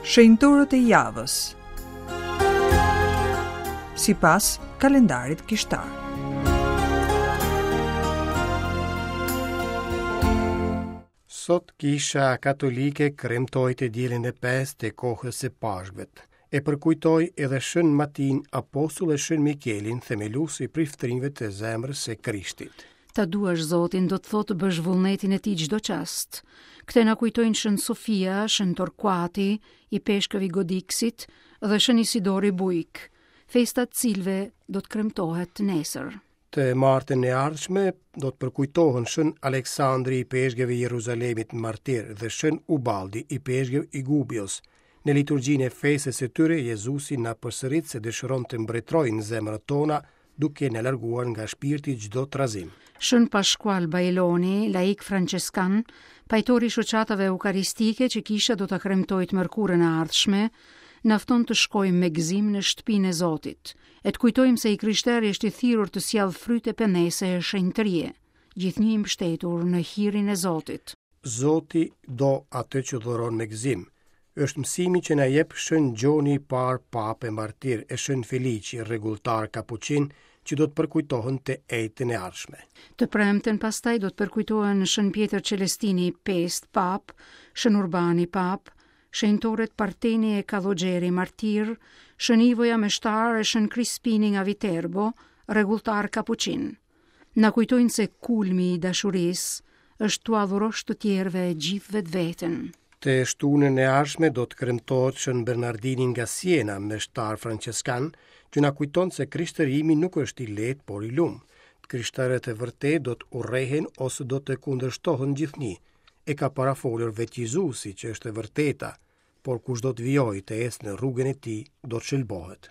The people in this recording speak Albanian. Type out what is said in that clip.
Shenjtorët e javës. Sipas kalendarit kishtar. Sot Kisha Katolike kremtoi të dielën e pestë të kohës së Pashkëve. E përkujtoi edhe Shën Matin Apostull e Shën Mikelin, themelues i priftërinjve të Zemrës së Krishtit. Ta duash Zotin do të thotë të bësh vullnetin e tij çdo çast. Këtë na kujtojnë Shën Sofia, Shën Torkuati, ipeshkëv i Godiksit dhe Shën Isidori Bujk, festa e të cilëve do të kremtohet nesër. Të martën e ardhshme do të përkujtohen Shën Aleksandri ipeshkëv i Jeruzalemit martir dhe Shën Ubaldi ipeshkëv i Gubios. Në liturgjinë e festës së tyre Jezusi na përsërit se dëshiron të mbretërojë në zemrat tona, duke na larguar nga shpirti çdo trazim. Shën Pashkual Bajloni, laik françeskan, pajtor i shoqatave eukaristike që kisha do ta kremtojë të mërkurën e ardhshme, na fton të shkojmë me gëzim në shtëpinë e Zotit, e të kujtojmë se i krishteri është i thirrur të sjellë fryte penese e shenjtërie, gjithnjë i mbështetur në hirin e Zotit. Zoti do atë që dhuron me gëzim. Është mësimi që na jep Shën Gjoni i Parë Papë e Martir e Shën Feliçi, rregulltar kapuçin, që do të përkujtohen të enjten e ardhshme. Të premten pastaj do të përkujtohen Shën Pjetër Celestini i Pestë Papë, Shën Urbani Papë, shenjtorët Parteni e Kallogjeri martirë, Shën Ivoja meshtar e Shën Krispini nga Viterbo, rregulltar kapuçin. Na kujtojnë se kulmi i dashurisë është t'ua dhurosh të tjerëve gjithë vetveten. Të shtunën e ardhshme do të kremtohet Shën Bernardini nga Siena, meshtar françeskan, që na kujton se krishtërimi nuk është i lehtë, por i lum. Të krishterët e vërtetë do të urrehen ose do të kundërshtohen gjithnjë. E ka parafolur vetë Jezusi, që është e vërteta, por kush do të vijojë të ecë në rrugën e tij, do të shëlbohet.